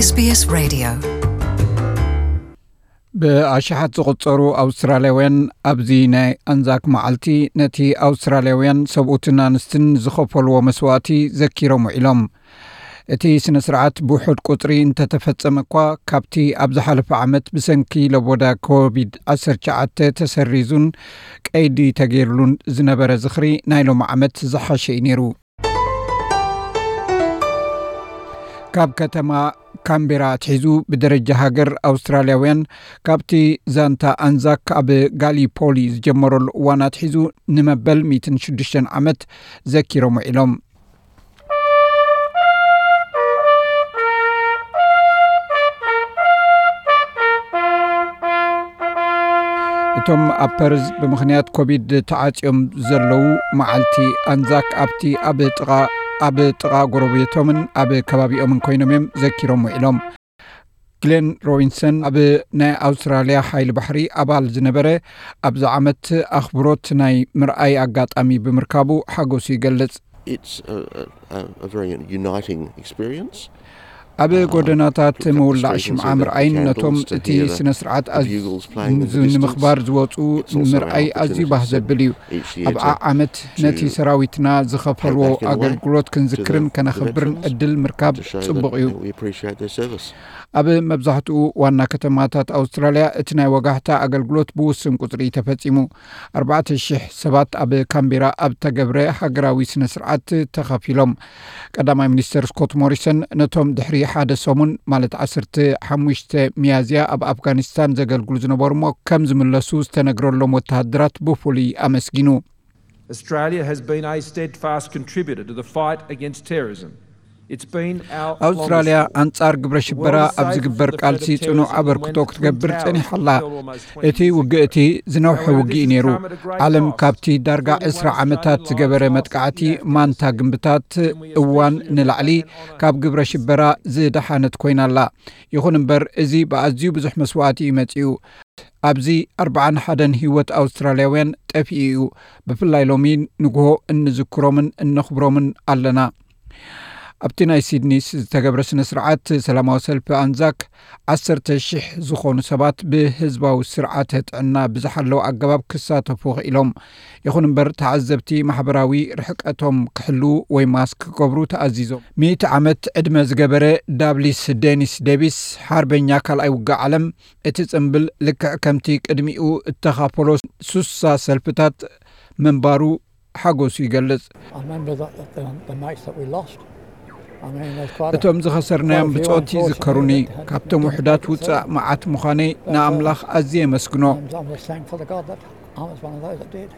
S B S Radio. ብኣሽሓት ዝቑጸሩ ኣውስትራልያውያን ኣብዚ ናይ ኣንዛክ መዓልቲ ነቲ ኣውስትራልያውያን ሰብኡትን ኣንስትን ዝኸፈልዎ መስዋእቲ ዘኪሮም ውዒሎም። እቲ ስነ ስርዓት ብውሑድ ቁጽሪ እንተተፈጸመ እኳ፣ ካብቲ ኣብ ዝሓለፈ ዓመት ብሰንኪ ለቦዳ ኮቪድ ዓሰርተ ትሽዓተ ተሰሪዙን ቀይዲ ተገይርሉን ዝነበረ ዝኽሪ፣ ናይ ሎሚ ዓመት ዝሓሸ እዩ ነይሩ። ካብ ከተማ ካምቤራ ኣትሒዙ፣ ብደረጃ ሃገር ኣውስትራልያውያን ካብቲ ዛንታ ኣንዛክ ኣብ ጋሊፖሊ ዝጀመረሉ እዋን ኣትሒዙ ንመበል ሚእትን ሽዱሽተን ዓመት ዘኪሮም ውዒሎም። እቶም ኣብ ፐርዝ ብምኽንያት ኮቪድ ተዓጽዮም ዘለዉ፣ መዓልቲ ኣንዛክ ኣብቲ ኣብ ጥቓ፣ ኣብ ጥቓ ጎረቤቶምን ኣብ ከባቢኦምን ኮይኖም እዮም ዘኪሮም ውዒሎም። ግሌን ሮቢንሰን፣ ኣብ ናይ ኣውስትራልያ ሓይሊ ባሕሪ ኣባል ዝነበረ፣ ኣብዚ ዓመት ኣኽብሮት ናይ ምርኣይ ኣጋጣሚ ብምርካቡ ሓጎሱ ይገልጽ። It's a, a, a very uniting experience. ኣብ ጎደናታት ምውላዕ ሽምዓ ምርኣይን ነቶም እቲ ስነ ስርዓት ኣዝዩ ንምኽባር ዝወፁ ምርኣይ ኣዝዩ ባህ ዘብል እዩ። ኣብ ዓዓመት ነቲ ሰራዊትና ዝኸፈልዎ ኣገልግሎት ክንዝክርን ከነኽብርን ዕድል ምርካብ ጽቡቕ እዩ። ኣብ መብዛሕትኡ ዋና ከተማታት ኣውስትራልያ እቲ ናይ ወጋሕታ ኣገልግሎት ብውሱን ቁጽሪ ተፈጺሙ። ኣርባዕተ ሽሕ ሰባት ኣብ ካምቤራ ኣብ ተገብረ ሃገራዊ ስነ ስርዓት ተኸፊሎም። ቀዳማይ ሚኒስተር ስኮት ሞሪሰን ነቶም ድሕሪ ሓደ ሰሙን፣ ማለት ዓሰርተ ሓሙሽተ ሚያዝያ፣ ኣብ ኣፍጋኒስታን ዘገልግሉ ዝነበሩ እሞ ከም ዝምለሱ ዝተነግረሎም ወተሃደራት ብፍሉይ ኣመስጊኑ። Australia has been a steadfast contributor to the fight against terrorism. It's been our ኣውስትራልያ longest ኣንጻር ግብረ ሽበራ ኣብ ዝግበር ቃልሲ ጽኑዕ ኣበርክቶ ክትገብር ጸኒሓ ኣላ። እቲ ውግእ እቲ ዝነውሐ ውግእ እዩ ነይሩ። ዓለም ካብቲ ዳርጋ ዕስራ ዓመታት ዝገበረ መጥቃዕቲ ማንታ ግንብታት እዋን ንላዕሊ ካብ ግብረ ሽበራ ዝደሓነት ኮይና ኣላ። ይኹን እምበር፣ እዚ ብኣዝዩ ብዙሕ መስዋእቲ እዩ መጺኡ። ኣብዚ ኣርብዓን ሓደን ህይወት ኣውስትራልያውያን ጠፊኡ እዩ። ብፍላይ ሎሚ ንግሆ እንዝክሮምን እነኽብሮምን ኣለና። ኣብቲ ናይ ሲድኒስ ዝተገብረ ስነ ስርዓት፣ ሰላማዊ ሰልፊ ኣንዛክ፣ ዓሰርተ ሽሕ ዝኾኑ ሰባት ብህዝባዊ ስርዓተ ጥዕና ብዝሓለወ ኣገባብ ክሳተፉ ክኢሎም። ይኹን እምበር፣ ተዓዘብቲ ማሕበራዊ ርሕቀቶም ክሕልዉ ወይ ማስክ ክገብሩ ተኣዚዞም። ሚእቲ ዓመት ዕድመ ዝገበረ ዳብሊስ ዴኒስ ዴቪስ፣ ሓርበኛ ካልኣይ ውግእ ዓለም፣ እቲ ጽምብል ልክዕ ከምቲ ቅድሚኡ እተኻፈሎ ሱሳ ሰልፍታት ምንባሩ ሓጎሱ ይገልጽ። I remember that the, the, the mates that we lost. I mean, there's quite a, እቶም ዝኸሰርናዮም quite a few ብጾት ይዝከሩኒ። unfortunately that had, ካብቶም didn't ውሕዳት make it ውጻእ through. መዓት ምዃነይ ንኣምላኽ ኣዝየ የመስግኖ። And I was thankful to God that I was one of those that did.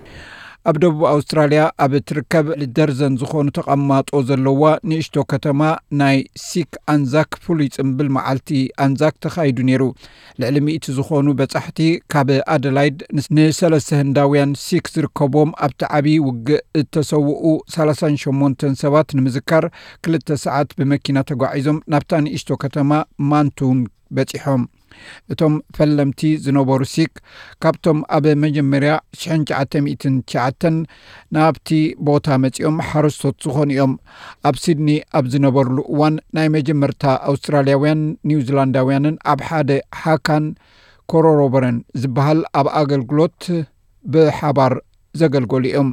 ኣብ ደቡብ ኣውስትራልያ ኣብ እትርከብ ደርዘን ዝኾኑ ተቐማጦ ዘለዋ ንእሽቶ ከተማ ናይ ሲክ ኣንዛክ ፍሉይ ጽምብል መዓልቲ ኣንዛክ ተኻይዱ ነይሩ። ልዕሊ ሚእቲ ዝኾኑ በጻሕቲ ካብ ኣደላይድ ንስ-፣ ንሰለስተ ህንዳውያን ሲክ ዝርከብዎም ኣብቲ ዓቢ ውግእ እተሰውኡ ሰላሳን ሸሞንተን ሰባት ንምዝካር ክልተ ሰዓት ብመኪና ተጓዒዞም ናብታ ንእሽቶ ከተማ ማንቱን በጺሖም። እቶም ፈለምቲ ዝነበሩ ሲክ፣ ካብቶም ኣብ መጀመርያ ሽሕን ትሽዓተ ሚእትን ትሽዓተን ናብቲ ቦታ መጺኦም ሓረስቶት ዝኾኑ እዮም። ኣብ ሲድኒ ኣብ ዝነበርሉ እዋን፣ ናይ መጀመርታ ኣውስትራልያውያን ኒውዚላንዳውያንን ኣብ ሓደ ሃካን ኮሮሮበረን ዝበሃል ኣብ ኣገልግሎት ብሓባር ዘገልገሉ እዮም።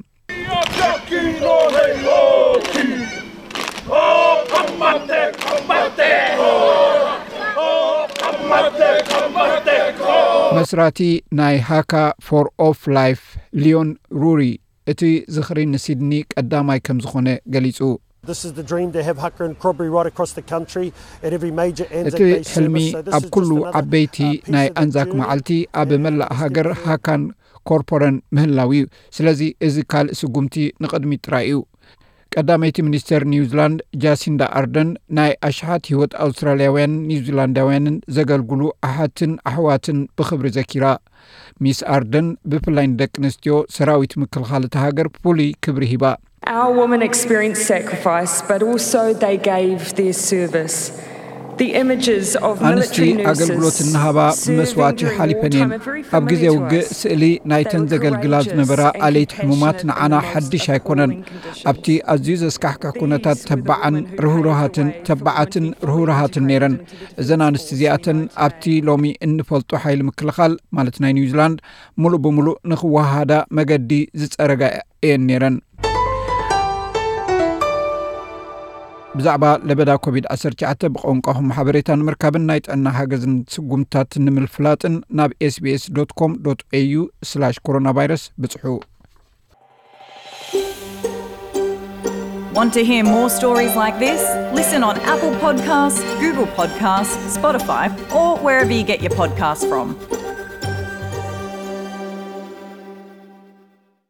መስራቲ ናይ ሃካ ፎር ኦፍ ላይፍ፣ ሊዮን ሩሪ፣ እቲ ዝኽሪ ንሲድኒ ቀዳማይ ከም ዝኾነ ገሊጹ። This is the dream to have Haka and Corbury right across the country at every major Anzac እቲ Day ሕልሚ service. So this ኣብ is ኩሉ just another, ዓበይቲ uh, piece ናይ of that ኣንዛክ journey. መዓልቲ ኣብ መላእ ሃገር ሃካን ኮርፖረን ምህላው እዩ። ስለዚ እዚ ካልእ ስጉምቲ ንቕድሚት ጥራይ እዩ። ቀዳመይቲ ሚኒስተር ኒውዚላንድ ጃሲንዳ ኣርደን ናይ ኣሽሓት ህይወት ኣውስትራልያውያን ኒውዚላንዳውያንን ዘገልግሉ ኣሓትን ኣሕዋትን ብኽብሪ ዘኪራ። ሚስ ኣርደን ብፍላይ ንደቂ ኣንስትዮ ሰራዊት ምክልኻል እታ ሃገር ፍሉይ ክብሪ ሂባ። Our women experienced sacrifice, but also they gave their service. The images of ኣንስቲ ኣገልግሎት እናሃባ ብመስዋእቲ ሓሊፈን እየን። ኣብ ግዜ ውግእ ስእሊ ናይተን ዘገልግላ ዝነበራ ኣለይቲ ሕሙማት ንዓና ሓድሽ ኣይኮነን። ኣብቲ ኣዝዩ ዘስካሕክሕ ኩነታት ተባዓን ርህሩሃትን ተባዓትን ርህሩሃትን ነይረን። እዘን ኣንስቲ እዚኣተን ኣብቲ ሎሚ እንፈልጦ ሓይሊ ምክልኻል ማለት ናይ ኒውዚላንድ ሙሉእ ብሙሉእ ንክወሃሃዳ መገዲ ዝጸረጋ እየን ነይረን። ብዛዕባ ለበዳ ኮቪድ ዓሰርተ ትሽዓተ ብቋንቋኹም ሓበሬታ ንምርካብን ናይ ጥዕና ሓገዝን ስጉምታት ንምፍላጥን ናብ ኤስቢኤስ ዶት ኮም ዶት ኤዩ ስላሽ ኮሮና ቫይረስ ብጽሑ። Want to hear more stories like this? Listen on Apple Podcasts, Google Podcasts, Spotify, or wherever you get your podcasts from.